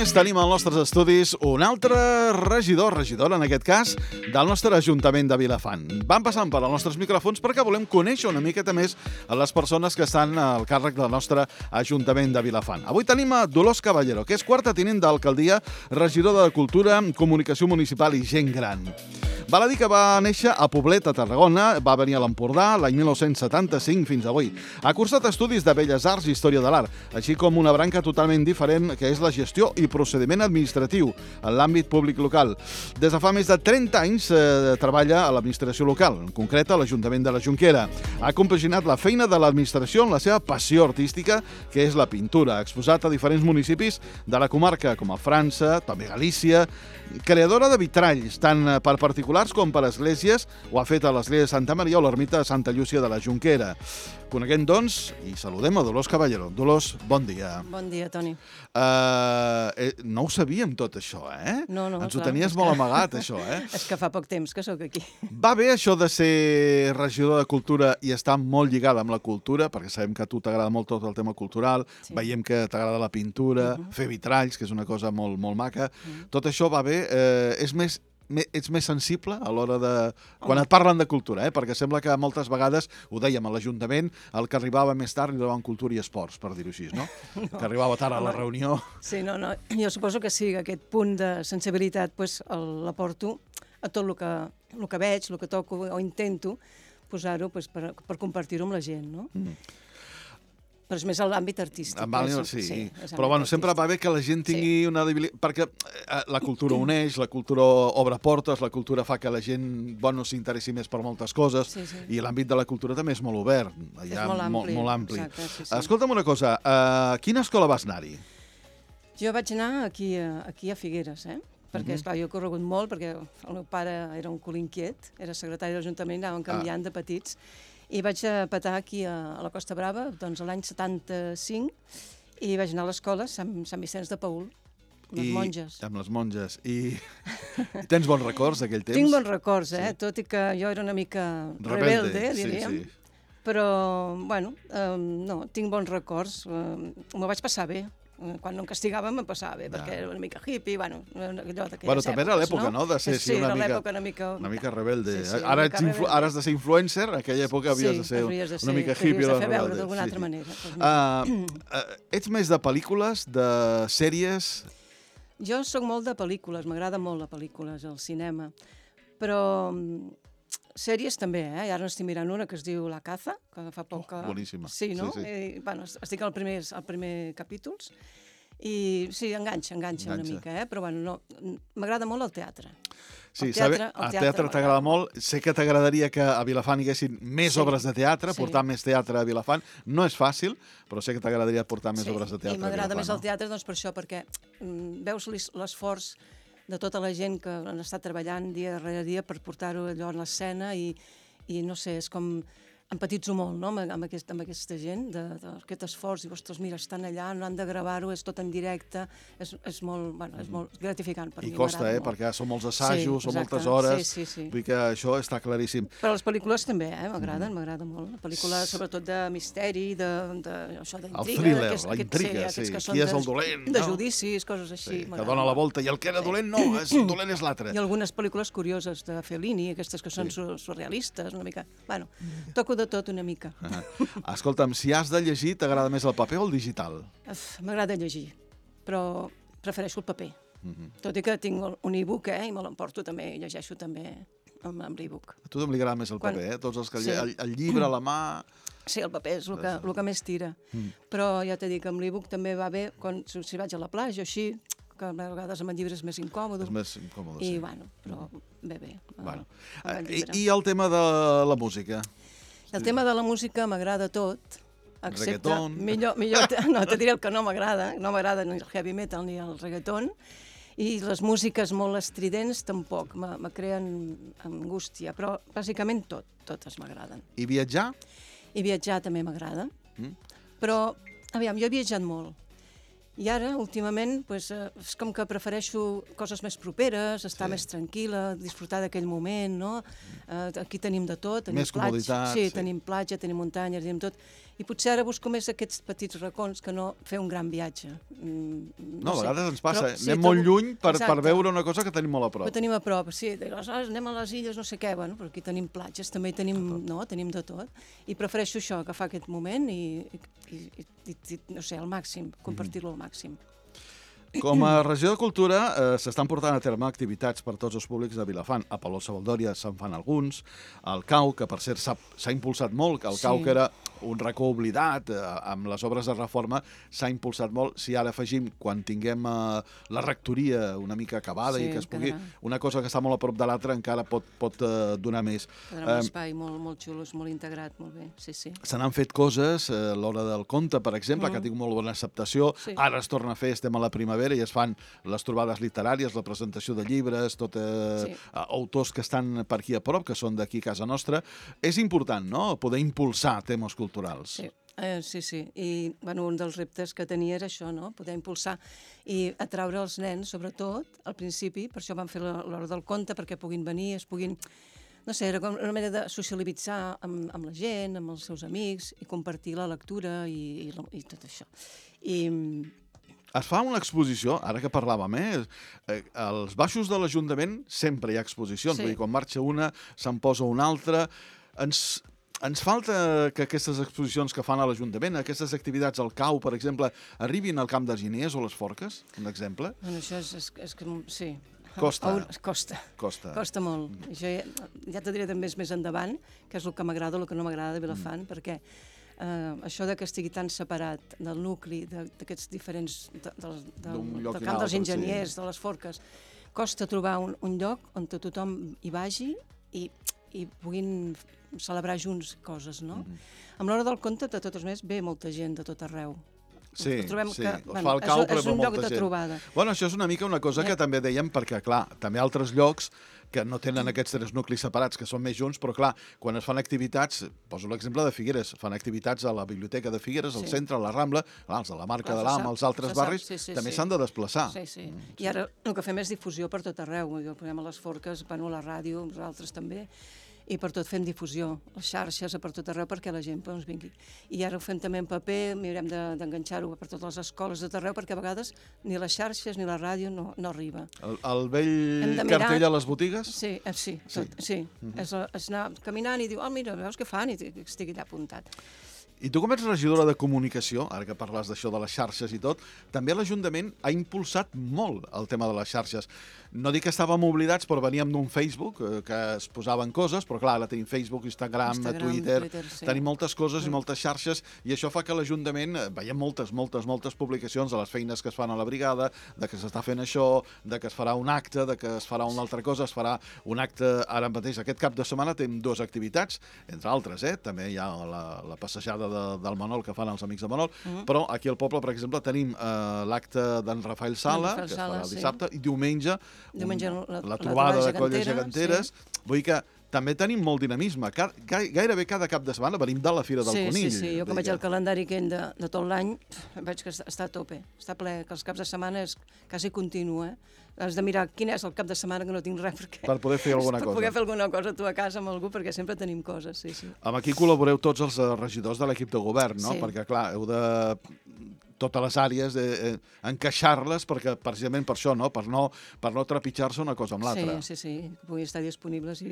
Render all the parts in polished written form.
més, tenim als nostres estudis un altre regidora en aquest cas, del nostre Ajuntament de Vilafant. Van passant per als nostres micròfons perquè volem conèixer una miqueta més a les persones que estan al càrrec del nostre Ajuntament de Vilafant. Avui tenim a Dolors Caballero, que és quarta tinent d'alcaldia, regidora de Cultura, Comunicació Municipal i Gent Gran. Val a dir que va néixer a Poblet, a Tarragona, va venir a l'Empordà l'any 1975 fins avui. Ha cursat estudis de Belles Arts i Història de l'Art, així com una branca totalment diferent que és la gestió i procediment administratiu en l'àmbit públic local. Des de fa més de 30 anys treballa a l'administració local, en concret a l'Ajuntament de la Jonquera. Ha compaginat la feina de l'administració amb la seva passió artística, que és la pintura. Ha exposat a diferents municipis de la comarca, com a França, també Galícia. Creadora de vitralls, tant per particulars com per esglésies, ho ha fet a l'església de Santa Maria o l'ermita de Santa Llúcia de la Jonquera. Coneguem, doncs, i saludem a Dolors Caballero. Dolors, bon dia. Bon dia, Toni. No ho sabíem tot això, eh? No, Ens ho clar, tenies molt amagat, això, eh? És que fa poc temps que sóc aquí. Va bé això de ser regidor de Cultura i estar molt lligada amb la cultura, perquè sabem que a tu t'agrada molt tot el tema cultural, Sí. veiem que t'agrada la pintura, fer vitralls, que és una cosa molt, molt maca. Tot això va bé. Ets més sensible a l'hora de... Quan et parlen de cultura, perquè sembla que moltes vegades, ho dèiem a l'Ajuntament, el que arribava més tard li donaven cultura i esports, per dir-ho així, no? Que arribava tard a la reunió. Sí, no, jo suposo que sí, que aquest punt de sensibilitat pues, l'aporto a tot el que veig, el que toco o intento posar-ho pues, per compartir-ho amb la gent, no? Però és més a l'àmbit artístic. Sí. Però bueno, sempre va bé que la gent tingui una debilitat, perquè la cultura uneix, la cultura obre portes, la cultura fa que la gent s'interessi més per moltes coses, i l'àmbit de la cultura també és molt obert. És molt ampli. Exacte. Escolta'm una cosa, a quina escola vas anar-hi? Jo vaig anar aquí a Figueres, perquè, esclar, jo he corregut molt, perquè el meu pare era un cul inquiet, era secretari de l'Ajuntament, anàvem canviant de petits, i vaig petar aquí a la Costa Brava, doncs l'any 75, i vaig anar a l'escola Sant Vicenç de Paül, amb les monges. Amb les monges. I tens bons records d'aquell temps? Tinc bons records, tot i que jo era una mica rebelde, diríem. Però, bueno, no, tinc bons records. M'ho vaig passar bé. Quan no em castigàvem em passava bé, perquè era una mica hippie, allò d'aquelles èpoques, no? També era l'època, no?, de ser una mica rebelde. Ara has de ser influencer, en aquella època havies de ser una mica hippie o rebelde. Havies de fer veure d'alguna altra manera. Ets més de pel·lícules, de sèries? Jo sóc molt de pel·lícules, m'agrada molt la pel·lícules, el cinema, però sèries també, i ara n'estic mirant una que es diu La Caza, que fa poc que... Boníssima. Sí, no? Bueno, estic al primer capítols, i sí, enganxa una mica, però bueno, m'agrada molt el teatre. Sí, el teatre t'agrada molt. Sé que t'agradaria que a Vilafant hi haguessin més obres de teatre, portar més teatre a Vilafant. No és fàcil, però sé que t'agradaria portar més obres de teatre a Vilafant. I m'agrada més el teatre doncs per això, perquè veus l'esforç de tota la gent que han estat treballant dia darrere dia per portar-ho allò en l'escena i no sé, és com empatitzo molt, no?, amb aquesta gent, d'aquest esforç, i ostres, mira, estan allà, no han de gravar-ho, és tot en directe, és molt gratificant per mi. I costa, perquè són molts assajos, són moltes hores, vull que això està claríssim. Però les pel·lícules també, m'agraden molt. La pel·lícula, sobretot de misteri, d'intriga. El thriller, la intriga, sí. Qui és el dolent? De judicis, coses així. Que dona la volta, i el que era dolent no, el dolent és l'altre. I algunes pel·lícules curioses de Fellini, aquestes que són surrealistes, una mica. Bueno, toco de tot una mica. Escolta'm, si has de llegir, t'agrada més el paper o el digital? M'agrada llegir, però prefereixo el paper. Tot i que tinc un e-book, i me l'emporto també, i llegeixo també amb l'e-book. A tu li agrada més el paper, tots els que el llibre a la mà... Sí, el paper és el que més tira. Però ja t'he dit que amb l'e-book també va bé, si vaig a la platja o així, que a vegades amb el llibre és més incòmode. És més incòmode, sí. I, bueno, però bé. I el tema de la música? El tema de la música m'agrada tot, excepte... Reggaeton? No, te diré el que no m'agrada. No m'agrada ni el heavy metal ni el reggaeton. I les músiques molt estridents tampoc, me creen angústia. Però bàsicament totes m'agraden. I viatjar? I viatjar també m'agrada. Però, aviam, jo he viatjat molt. I ara, últimament, és com que prefereixo coses més properes, estar més tranquil·la, disfrutar d'aquell moment, no? Aquí tenim de tot. Més comoditat. Sí, tenim platja, tenim muntanyes, tenim tot. I potser ara busco més aquests petits racons que no fer un gran viatge. No, a vegades ens passa, anem molt lluny per veure una cosa que tenim molt a prop. Ho tenim a prop, sí. Aleshores anem a les illes, no sé què, bueno, però aquí tenim platges, també tenim de tot. I prefereixo això, agafar aquest moment i no sé, al màxim, compartir-lo al màxim. Com a regió de cultura s'estan portant a terme activitats per tots els públics de Vilafant. A Palau-Savaldòria se'n fan alguns, al Cau, que per cert s'ha impulsat molt, que el Cau, que era un racó oblidat, amb les obres de reforma, s'ha impulsat molt. Si ara afegim, quan tinguem la rectoria una mica acabada i que es pugui, una cosa que està molt a prop de l'altra encara pot donar més. Quedarà un espai molt xulo, molt integrat, molt bé, sí. Se n'han fet coses, l'Hora del Conte, per exemple, que ha tingut molt bona acceptació. Ara es torna a fer, estem a la primavera, i es fan les trobades literàries, la presentació de llibres, autors que estan per aquí a prop, que són d'aquí a casa nostra. És important, no?, poder impulsar temes culturals. Sí. I un dels reptes que tenia era això, no?, poder impulsar i atraure els nens, sobretot, al principi. Per això vam fer l'Hora del Conte, perquè puguin venir, es puguin... No sé, era com una manera de socialitzar amb la gent, amb els seus amics, i compartir la lectura i tot això. Es fa una exposició, ara que parlàvem, als baixos de l'Ajuntament sempre hi ha exposicions, vull dir, quan marxa una se'n posa una altra. Ens falta que aquestes exposicions que fan a l'Ajuntament, aquestes activitats al Cau, per exemple, arribin al Camp dels Guineers o les Forques, un exemple? Bueno, això és que sí. Costa molt. Això ja t'ho diré també més endavant, que és el que m'agrada o el que no m'agrada de Vilafant, perquè això que estigui tan separat del nucli, d'aquests diferents, del Camp dels Enginyers, de les Forques, costa trobar un lloc on tothom hi vagi i puguin celebrar junts coses, no? Amb l'Hora del Conte, de totes maneres, ve molta gent de tot arreu. Sí, fa el Cau, però és un lloc de trobada. Bueno, això és una mica una cosa que també dèiem, perquè, clar, també altres llocs que no tenen aquests tres nuclis separats, que són més junts, però, clar, quan es fan activitats, poso l'exemple de Figueres, fan activitats a la Biblioteca de Figueres, al centre, a la Rambla, els de la Marca de l'Am, els altres barris, també s'han de desplaçar. Sí. I ara el que fem és difusió per tot arreu. El posem a les Forques, a la ràdio, nosaltres també, i per tot fem difusió, les xarxes per tot arreu perquè la gent vingui. I ara ho fem també en paper, mirem d'enganxar-ho per totes les escoles de tot arreu, perquè a vegades ni les xarxes ni la ràdio no arriba. El vell cartell a les botigues? Sí. És anar caminant i dir, mira, veus què fan? I estigui allà apuntat. I tu, com ets regidora de comunicació, ara que parles d'això de les xarxes i tot, també l'Ajuntament ha impulsat molt el tema de les xarxes. No dic que estàvem oblidats, però veníem d'un Facebook que es posaven coses, però clar, ara tenim Facebook, Instagram, Twitter, tenim moltes coses i moltes xarxes, i això fa que l'Ajuntament veiem moltes publicacions de les feines que es fan a la brigada, de que s'està fent això, de que es farà un acte, de que es farà una altra cosa, es farà un acte ara mateix. Aquest cap de setmana tenim 2 activitats, entre altres, també hi ha la passejada del Manol que fan els amics de Manol, però aquí al poble, per exemple, tenim l'acte d'en Rafael Sala, que es farà el dissabte, i diumenge la trobada de colles geganteres. Vull dir que també tenim molt dinamisme. Gairebé cada cap de setmana venim de la Fira del Conill. Sí, jo com veig el calendari aquell de tot l'any, veig que està a tope, està ple, que els caps de setmana és quasi continu, Has de mirar quin és el cap de setmana que no tinc res per poder fer alguna cosa. Per poder fer alguna cosa tu a casa amb algú, perquè sempre tenim coses, sí. Amb aquí col·laboreu tots els regidors de l'equip de govern, no? Perquè, clar, heu de totes les àrees, encaixar-les, perquè precisament per això, no? Per no trepitjar-se una cosa amb l'altra. Sí, que puguin estar disponibles.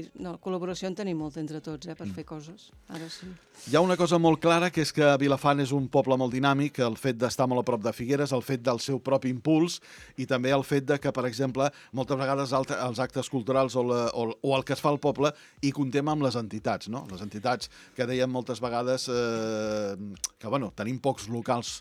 Col·laboració en tenim molta entre tots, per fer coses. Ara sí. Hi ha una cosa molt clara, que és que Vilafant és un poble molt dinàmic, el fet d'estar molt a prop de Figueres, el fet del seu propi impuls, i també el fet de que, per exemple, moltes vegades els actes culturals o el que es fa al poble hi contem amb les entitats, no? Les entitats que dèiem moltes vegades que, bueno, tenim pocs locals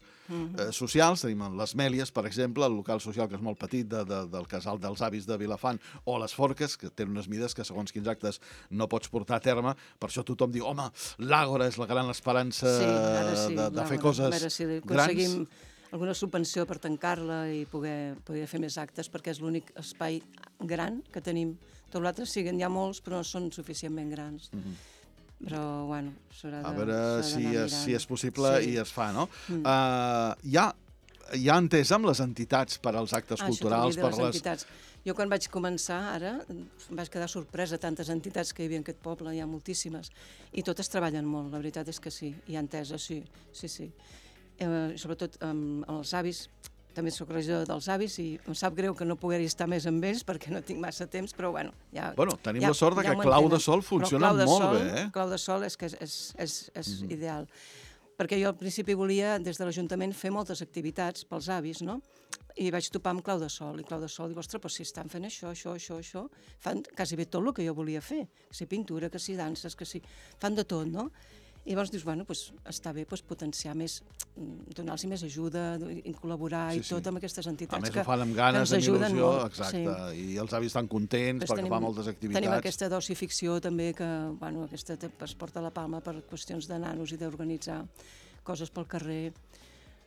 socials, tenim les Mèlies, per exemple, el local social que és molt petit del Casal dels Avis de Vilafant, o les Forques, que tenen unes mides que segons quins actes no pots portar a terme, per això tothom diu, home, l'Àgora és la gran esperança de fer coses grans. A veure si aconseguim alguna subvenció per tancar-la i poder fer més actes, perquè és l'únic espai gran que tenim. Tot l'altre siguen ja molts, però no són suficientment grans. Però, bueno, s'haurà d'anar mirant. A veure si és possible i es fa, no? Hi ha ja entès amb les entitats per als actes culturals, per les entitats. Jo quan vaig començar, ara, em vaig quedar sorpresa, tantes entitats que hi havia en aquest poble, hi ha moltíssimes, i totes treballen molt, la veritat és que sí, hi ha entesa, sí. Sobretot amb els avis, també soc regidora dels avis i em sap greu que no pogués estar més amb ells perquè no tinc massa temps, però bueno... Tenim la sort que Clau de Sol funciona molt bé, eh? Clau de Sol és que és ideal. Perquè jo al principi volia, des de l'Ajuntament, fer moltes activitats pels avis, no? I vaig topar amb Clau de Sol, i Clau de Sol diu, ostres, però si estan fent això, fan quasi bé tot el que jo volia fer, que si pintura, que si danses, que si... fan de tot, no? I llavors dius, bueno, està bé potenciar més, donar-los més ajuda, col·laborar i tot amb aquestes entitats. A més, ho fan amb ganes, amb il·lusió, exacte, i els avis estan contents perquè fan moltes activitats. Tenim aquesta doci-ficció també, que aquesta es porta a la palma per qüestions de nanos i d'organitzar coses pel carrer.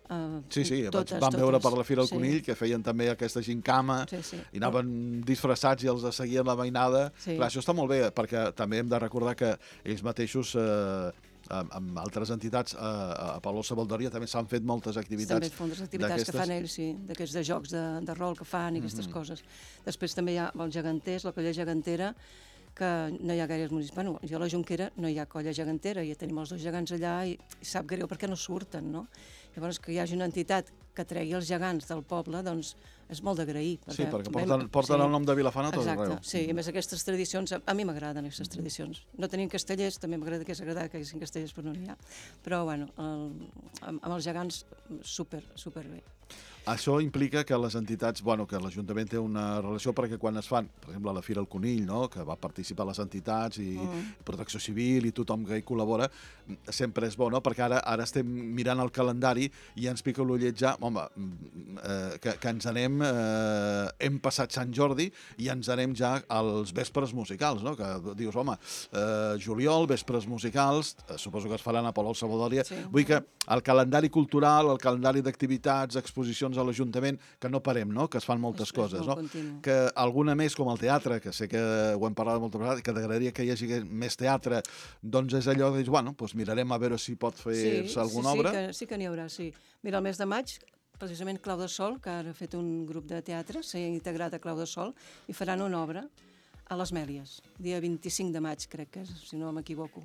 Vam veure per la Fira del Conill que feien també aquesta gincama i anaven disfressats i els seguien la mainada. Clar, això està molt bé, perquè també hem de recordar que ells mateixos... amb altres entitats a Palau Savaldòria també s'han fet moltes activitats. També moltes activitats que fan ells, sí, d'aquests de jocs de rol que fan i aquestes coses. Després també hi ha els geganters, la colla gegantera, que no hi ha gaires municipis. Bueno, jo a la Jonquera no hi ha colla gegantera, ja tenim els dos gegants allà i sap greu perquè no surten, no? Llavors, que hi hagi una entitat que tregui els gegants del poble, doncs és molt d'agrair. Sí, perquè porten el nom de Vilafant a tot arreu. Exacte, sí, i a més aquestes tradicions, a mi m'agraden aquestes tradicions. No tenim castellers, també m'agrada que hi hagi castellers, però no n'hi ha. Però, bueno, amb els gegants, super bé. Això implica que les entitats, que l'Ajuntament té una relació perquè quan es fan, per exemple, la Fira del Conill, que va participar les entitats i Protecció Civil i tothom que hi col·labora, sempre és bo, no? Perquè ara estem mirant el calendari i ens pica l'ullet ja, que ens anem, hem passat Sant Jordi i ens anem ja als vespres musicals, no? Que dius, juliol, vespres musicals, suposo que es faran a Palau Savaldòria. Vull que el calendari cultural, el calendari d'activitats, exposicions a l'Ajuntament, que no parem, no? Que es fan moltes coses, no? Que alguna més, com el teatre, que sé que ho hem parlat moltes vegades, que t'agradaria que hi hagi més teatre, doncs és allò que dius, mirarem a veure si pot fer-se alguna obra. Sí que n'hi haurà, sí. Mira, el mes de maig, precisament Clau de Sol, que ara ha fet un grup de teatre, s'ha integrat a Clau de Sol, i faran una obra a les Mèlies, dia 25 de maig, crec que és, si no m'equivoco.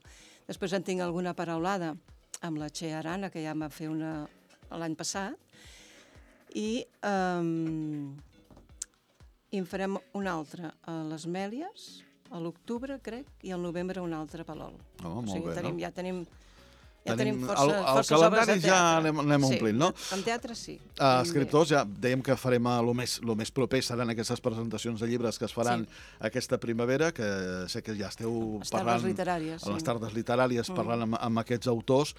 Després en tinc alguna paraulada amb la Txea Arana, que ja em va fer una l'any passat, i en farem una altra a les Mèlies, a l'octubre, crec, i al novembre una altra a Palol. Molt bé, no? Ja tenim el calendari ja anem omplint, no? En teatre sí. Escriptors, ja dèiem que farem el més proper seran aquestes presentacions de llibres que es faran aquesta primavera, que sé que ja esteu parlant a les tardes literàries, parlant amb aquests autors,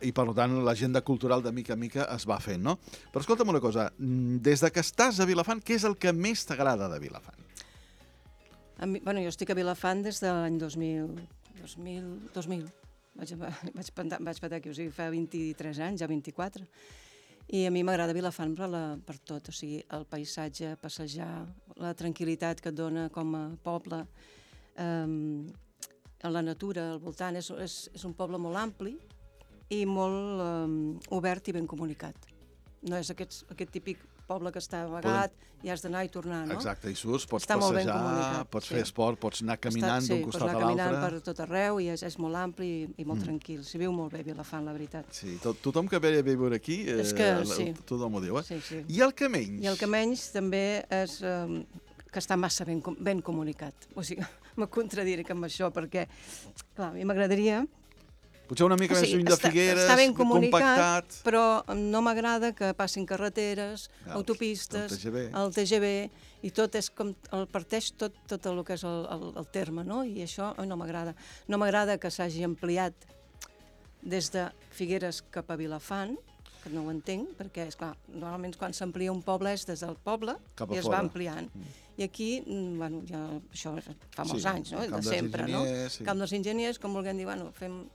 i per tant l'agenda cultural de mica en mica es va fent, no? Però escolta'm una cosa, des de que estàs a Vilafant, què és el que més t'agrada de Vilafant? Jo estic a Vilafant des de l'any 2000. Vaig petar aquí, o sigui, fa 23 anys, ja 24. I a mi m'agrada Vilafant per tot, o sigui, el paisatge, passejar, la tranquil·litat que et dona com a poble, la natura al voltant. És un poble molt ampli i molt obert i ben comunicat. No és aquest típic poble que està amagat i has d'anar i tornar, no? Exacte, i surts, pots passejar, pots fer esport, pots anar caminant d'un costat a l'altre. Sí, pots anar caminant per tot arreu i és molt ampli i molt tranquil. S'hi viu molt bé Vilafant, la veritat. Sí, tothom que ve a viure aquí, tothom ho diu, eh? Sí. I el que menys? I el que menys també és que està massa ben comunicat. O sigui, me contradiré amb això perquè, clar, a mi m'agradaria... Potser una mica més lluny de Figueres, està ben comunicat, compactat. Però no m'agrada que passin carreteres, autopistes, el TGV, i tot és com parteix tot el que és el terme, no? I això no m'agrada. No m'agrada que s'hagi ampliat des de Figueres cap a Vilafant, que no ho entenc, perquè, esclar, normalment quan s'amplia un poble és des del poble i es va ampliant. I aquí, ja això fa molts anys, no? De sempre, no? Camp dels Enginyers, com vulguem dir, fem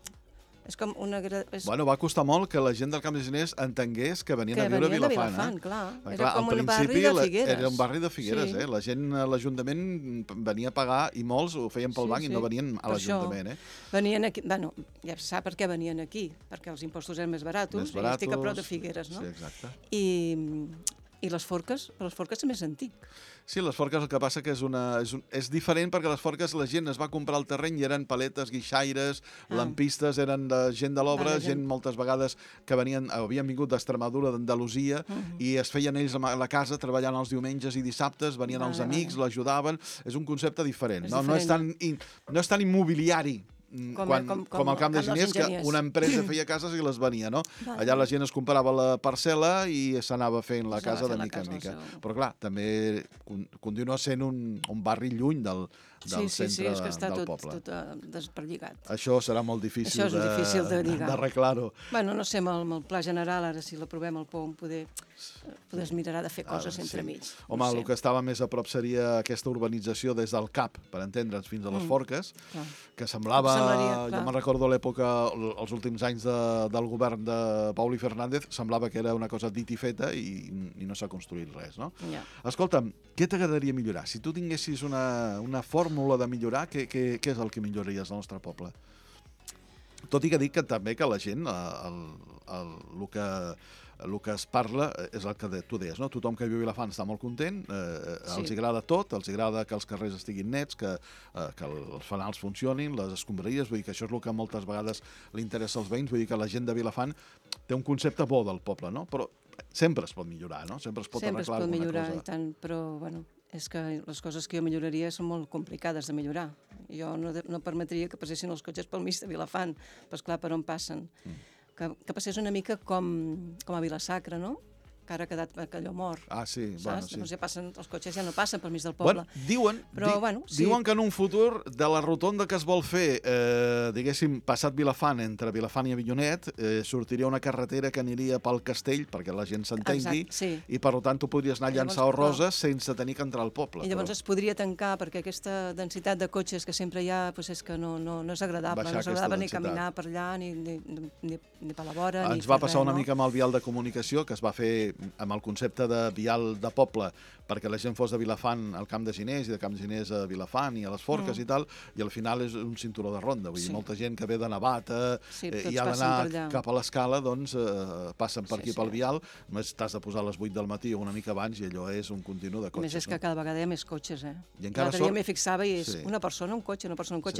És com una... Bueno, va costar molt que la gent del Camp de Gironès entengués que venien a viure a Vilafant. Clar. Era com un barri de Figueres. Era un barri de Figueres, sí. La gent a l'Ajuntament venia a pagar i molts ho feien pel banc i no venien a l'Ajuntament. Venien aquí, bueno, ja se sap per què venien aquí, perquè els impostos eren més barats, i estic a prop de Figueres, no? Sí, exacte. I les forques? Les forques és més antic. Sí, les forques el que passa que és diferent perquè les forques la gent es va comprar el terreny i eren paletes, guixaires, lampistes, eren de gent de l'obra, gent moltes vegades que havien vingut d'Extremadura, d'Andalusia, i es feien ells a la casa treballant els diumenges i dissabtes, venien els amics, l'ajudaven. És un concepte diferent. No és tan immobiliari com al Camp de Gironès, que una empresa feia cases i les venia, no? Allà la gent es comprava la parcel·la i s'anava fent la casa de mica en mica. Però clar, també continua sent un barri lluny del centre del poble. Sí, és que està tot desperlligat. Això serà molt difícil d'arreglar-ho. Bueno, no sé, amb el pla general, ara si l'aprovem al POM, poder es mirarà de fer coses entremig. Home, el que estava més a prop seria aquesta urbanització des del CAP, per entendre'ns, fins a les Forques, que semblava, jo me'n recordo a l'època, els últims anys del govern de Pauli Fernández, semblava que era una cosa dit i feta i no s'ha construït res, no? Escolta'm, què t'agradaria millorar? Si tu tinguessis una fórmula de millorar, què és el que milloraries al nostre poble? Tot i que dic també que la gent, el que es parla és el que tu deies, no? Tothom que viu a Vilafant està molt content, els agrada tot, els agrada que els carrers estiguin nets, que els fanals funcionin, les escombraries, vull dir que això és el que moltes vegades li interessa als veïns, vull dir que la gent de Vilafant té un concepte bo del poble, no? Però sempre es pot millorar, no? Sempre es pot arreglar alguna cosa. Sempre es pot millorar, i tant, però, bueno, és que les coses que jo milloraria són molt complicades de millorar. Jo no permetria que passessin els cotxes pel mig de Vilafant, però esclar, per on passen. Que passés una mica com a Vila-sacra, no? Que ara ha quedat allò mort. Ah, sí, bueno, sí. Els cotxes ja no passen pel mig del poble. Diuen que en un futur de la rotonda que es vol fer, diguéssim, passat Vilafant, entre Vilafant i Avinyonet, sortiria una carretera que aniria pel castell, perquè la gent s'entengui, i per tant tu podries anar a llançar roses sense tenir que entrar al poble. I llavors es podria tancar, perquè aquesta densitat de cotxes que sempre hi ha és que no és agradable. No és agradable ni caminar per allà, ni per la vora. Ens va passar una mica amb el vial de comunicació, que es va fer amb el concepte de vial de poble, perquè la gent fos de Vilafant al Camp de Gironès i de Camp de Gironès a Vilafant i a les Forques i tal, i al final és un cinturó de ronda. Vull dir, molta gent que ve de Navata i ha d'anar cap a l'escala, doncs passen per aquí pel vial, només t'has de posar a les 8 del matí o una mica abans i allò és un continu de cotxes. A més, és que cada vegada hi ha més cotxes, L'altre dia m'hi fixava i és una persona, un cotxe,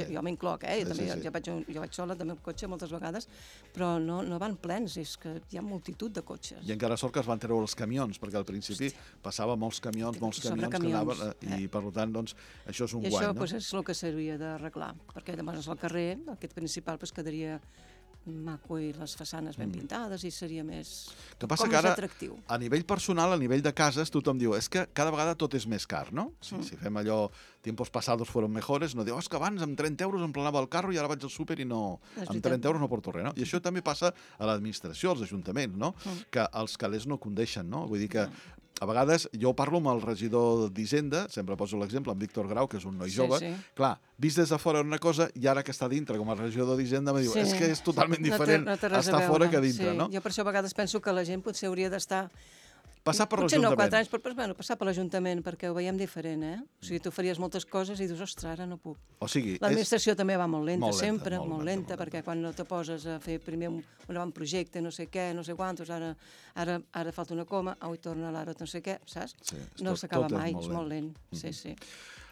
jo m'incloc, jo vaig sola també amb cotxe moltes vegades, però no van plens, és que hi ha multitud de cotxes. I encara sort que es van treure els camions, perquè al principi passava molts camions que anaven, i per tant, doncs, això és un guany. I això és el que s'hauria d'arreglar, perquè llavors el carrer, aquest principal, quedaria maco i les façanes ben pintades i seria més atractiu. Que passa que ara, a nivell personal, a nivell de cases, tothom diu, és que cada vegada tot és més car, no? Si fem allò, tiempos pasados fueron mejores, no diu, és que abans amb 30 euros em planava el carro i ara vaig al súper i no, amb 30 euros no porto res, no? I això també passa a l'administració, als ajuntaments, no? Que els calés no condeixen, no? Vull dir que a vegades jo parlo amb el regidor d'Hisenda, sempre poso l'exemple, amb Víctor Grau, que és un noi jove, clar, vist des de fora una cosa i ara que està dintre com a regidor d'Hisenda me diu, és que és totalment diferent estar fora que dintre, no? Jo per això a vegades penso que la gent potser hauria d'estar... Passar per l'Ajuntament. Potser no 4 anys, però passar per l'Ajuntament, perquè ho veiem diferent, O sigui, tu faries moltes coses i dius, ostres, ara no puc. O sigui... L'administració també va molt lenta, sempre, molt lenta, perquè quan no te poses a fer primer un avantprojecte, no sé què, no sé quantos, ara falta una coma, i torna l'ara no sé què, saps? No s'acaba mai, és molt lent, sí.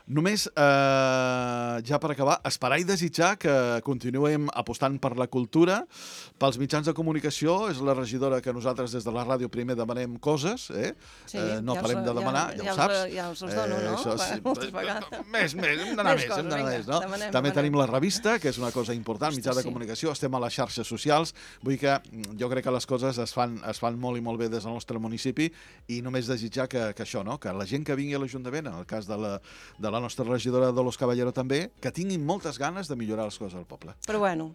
Només, ja per acabar, esperar i desitjar que continuem apostant per la cultura, pels mitjans de comunicació. És la regidora que nosaltres des de la ràdio primer demanem coses, no parem de demanar, ja ho saps. Ja els dono, no? Moltes vegades. Més, hem d'anar més, no? També tenim la revista, que és una cosa important, mitjà de comunicació, estem a les xarxes socials, vull dir que jo crec que les coses es fan molt i molt bé des del nostre municipi i només desitjar que això, que la gent que vingui a l'Ajuntament, en el cas de la nostra regidora Dolors Caballero també, que tinguin moltes ganes de millorar les coses al poble. Però bueno,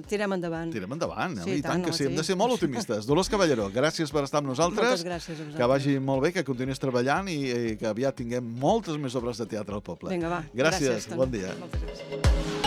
tirem endavant. Tirem endavant, i tant que sí, hem de ser molt optimistes. Dolors Caballero, gràcies per estar amb nosaltres. Moltes gràcies a vosaltres. Que vagi molt bé, que continuïs treballant i que aviat tinguem moltes més obres de teatre al poble. Vinga, va. Gràcies, bon dia. Moltes gràcies.